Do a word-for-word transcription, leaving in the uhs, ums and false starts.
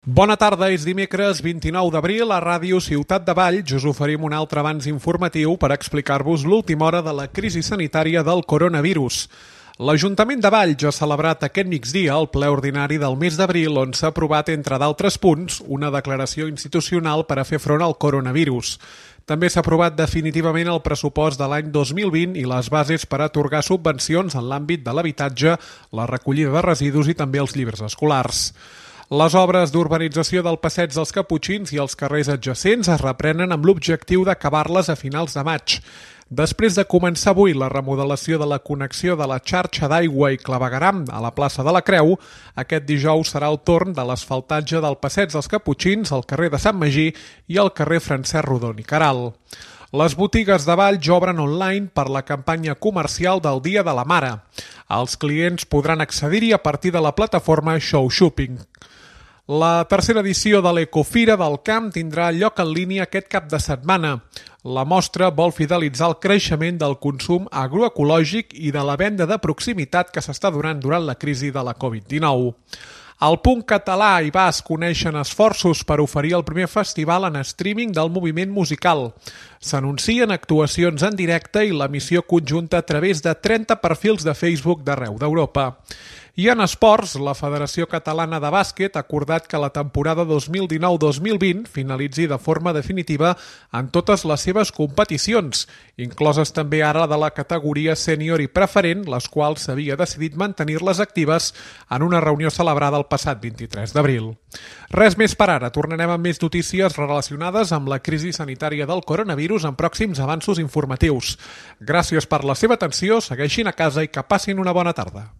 Bona tarda, és dimecres vint-i-nou d'abril. A Ràdio Ciutat de Valls us oferim un altre avanç informatiu per explicar-vos l'última hora de la crisi sanitària del coronavirus. L'Ajuntament de Valls ha celebrat aquest migdia el ple ordinari del mes d'abril, on s'ha aprovat, entre d'altres punts, una declaració institucional per a fer front al coronavirus. També s'ha aprovat definitivament el pressupost de l'any dos mil vint i les bases per atorgar subvencions en l'àmbit de l'habitatge, la recollida de residus i també els llibres escolars. Les obres d'urbanització del Passeig dels Caputxins i els carrers adjacents es reprenen amb l'objectiu d'acabar-les a finals de maig. Després de començar avui la remodelació de la connexió de la xarxa d'aigua i clavegueram a la plaça de la Creu, aquest dijous serà el torn de l'asfaltatge del Passeig dels Caputxins, el carrer de Sant Magí i el carrer Francesc Rodon i Queralt. Les botigues de Valls obren online per la campanya comercial del Dia de la Mare. Els clients podran accedir-hi a partir de la plataforma Show Shopping. La tercera edició de l'Ecofira del Camp tindrà lloc en línia aquest cap de setmana. La mostra vol fidelitzar el creixement del consum agroecològic i de la venda de proximitat que s'està donant durant la crisi de la covid dinou. El punt català i basc uneixen esforços per oferir el primer festival en streaming del moviment musical. S'anuncien actuacions en directe i l'emissió conjunta a través de trenta perfils de Facebook d'arreu d'Europa. I en esports, la Federació Catalana de Bàsquet ha acordat que la temporada dos mil dinou dos mil vint finalitzi de forma definitiva en totes les seves competicions, incloses també ara de la categoria sènior i preferent, les quals s'havia decidit mantenir-les actives en una reunió celebrada el passat vint-i-tres d'abril. Res més per ara, tornarem amb més notícies relacionades amb la crisi sanitària del coronavirus en pròxims avanços informatius. Gràcies per la seva atenció, segueixin a casa i que passin una bona tarda.